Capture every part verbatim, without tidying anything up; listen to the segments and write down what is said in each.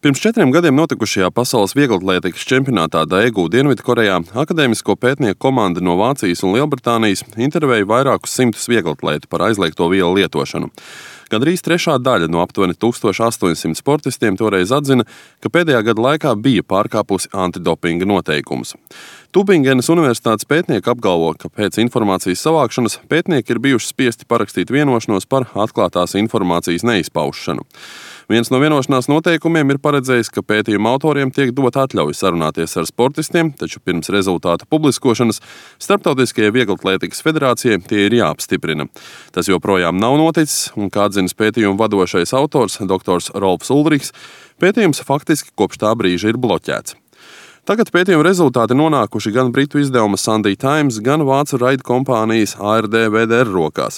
Pirms četriem gadiem notikušajā pasaules vieglatlētikas čempionātā Daegu Dienvidkorejā akadēmisko pētnieku komanda no Vācijas un Lielbritānijas intervēja vairākus simtus vieglatlētu par aizliegto vielu lietošanu. Gandrīz trešā daļa no aptuveni tūkstoš astoņsimt sportistiem toreiz atzina, ka pēdējā gada laikā bija pārkāpusi antidopinga noteikumus. Tubingenas universitātes pētnieki apgalvo, ka pēc informācijas savākšanas pētnieki ir bijuši spiesti parakstīt vienošanos par atklātās informācijas neizpaušanu. Viens no vienošanās noteikumiem ir paredzējis, ka pētījuma autoriem tiek dot atļauja sarunāties ar sportistiem, taču pirms rezultātu publiskošanas Starptautiskajai vieglatlētikas federācijai tie ir jāapstiprina. Tas joprojām nav noticis, un kā atzinis pētījuma vadošais autors, doktors Rolfs Ulrichs, pētījums faktiski kopš tā brīža ir bloķēts. Tagad pētījuma rezultāti nonākuši gan britu izdevuma Sunday Times, gan vācu raida kompānijas A R D V D R rokās.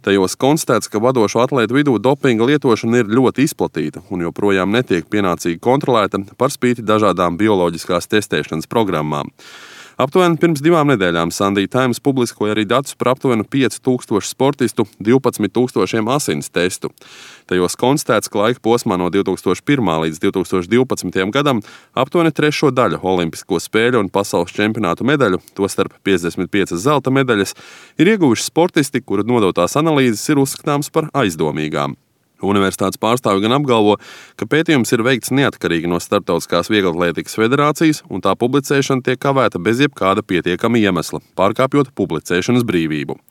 Tajos konstatēts, ka vadošo atlētu vidū dopinga lietošana ir ļoti izplatīta un joprojām netiek pienācīgi kontrolēta par spīti dažādām bioloģiskās testēšanas programmām. Aptuveni pirms divām nedēļām Sunday Times publiskoja arī datus par aptuveni pieci tūkstoši sportistu divpadsmit tūkstošiem asins testu. Tajos konstatēts, ka laika posmā no divi tūkstoši pirmā līdz divi tūkstoši divpadsmitajam gadam aptuveni trešo daļu olimpisko spēļu un pasaules čempionātu medaļu, tostarp piecdesmit piecas zelta medaļas, ir ieguvuši sportisti, kuru nodotās analīzes ir uzskatāmas par aizdomīgām. Universitātes pārstāvi gan apgalvo, ka pētījums ir veikts neatkarīgi no Starptautiskās vieglatlētikas federācijas, un tā publicēšana tiek kavēta bez jebkāda pietiekama iemesla, pārkāpjot publicēšanas brīvību.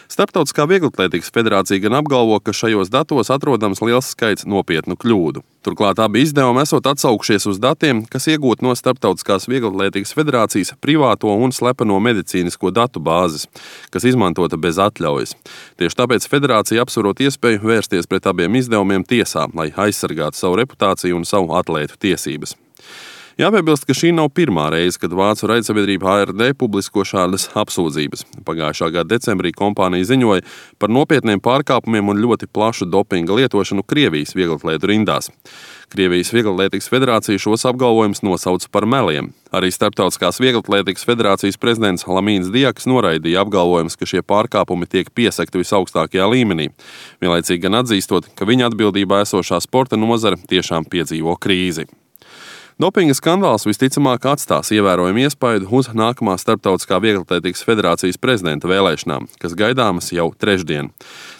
Starptautiskā vieglatlētikas federācija gan apgalvo, ka šajos datos atrodams liels skaits nopietnu kļūdu. Turklāt abi izdevumi esot atsaukšies uz datiem, kas iegūti no Starptautiskās vieglatlētikas federācijas privāto un slepeno medicīnisko datu bāzes, kas izmantota bez atļaujas. Tieši tāpēc federācija apsverot iespēju vērsties pret abiem izdevumiem tiesā, lai aizsargātu savu reputāciju un savu atlētu tiesības. Jāpiebilst, ka šī nav pirmā reize, kad vācu raidsabiedrība A R D publisko šādas apsūdzības. Pagājušā gada decembrī kompānija ziņoja par nopietniem pārkāpumiem un ļoti plašu dopinga lietošanu Krievijas vieglatlētu rindās. Krievijas vieglatlētikas federācija šos apgalvojumus nosauca par meliem. Arī Starptautiskās vieglatlētikas federācijas prezidents Lamīns Diaks noraidīja apgalvojumus, ka šie pārkāpumi tiek piesakti visaugstākajā līmenī, vienlaicīgi gan atzīstot, ka viņa atbildībā esošā sporta nozare tiešām piedzīvo krīzi. Dopinga skandāls visticamāk atstās ievērojumu iespaidu uz nākamā Starptautiskā vieglatlētikas federācijas prezidenta vēlēšanām, kas gaidāmas jau trešdien.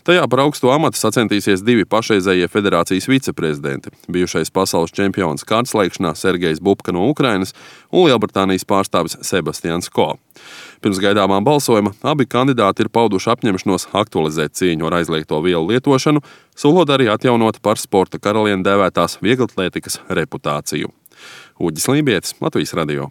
Tajā par augsto amatu sacentīsies divi pašreizējie federācijas viceprezidenti – bijušais pasaules čempions kārtslēkšanā Sergejs Bubka no Ukrainas un Lielbritānijas pārstāvis Sebastians Ko. Pirms gaidāmā balsojuma abi kandidāti ir pauduši apņemšanos aktualizēt cīņu ar aizliegto vielu lietošanu, solot arī atjaunot par sporta karalieni dēvētās vieglatlētikas reputāciju. Uģis Lībietis, Latvijas radio.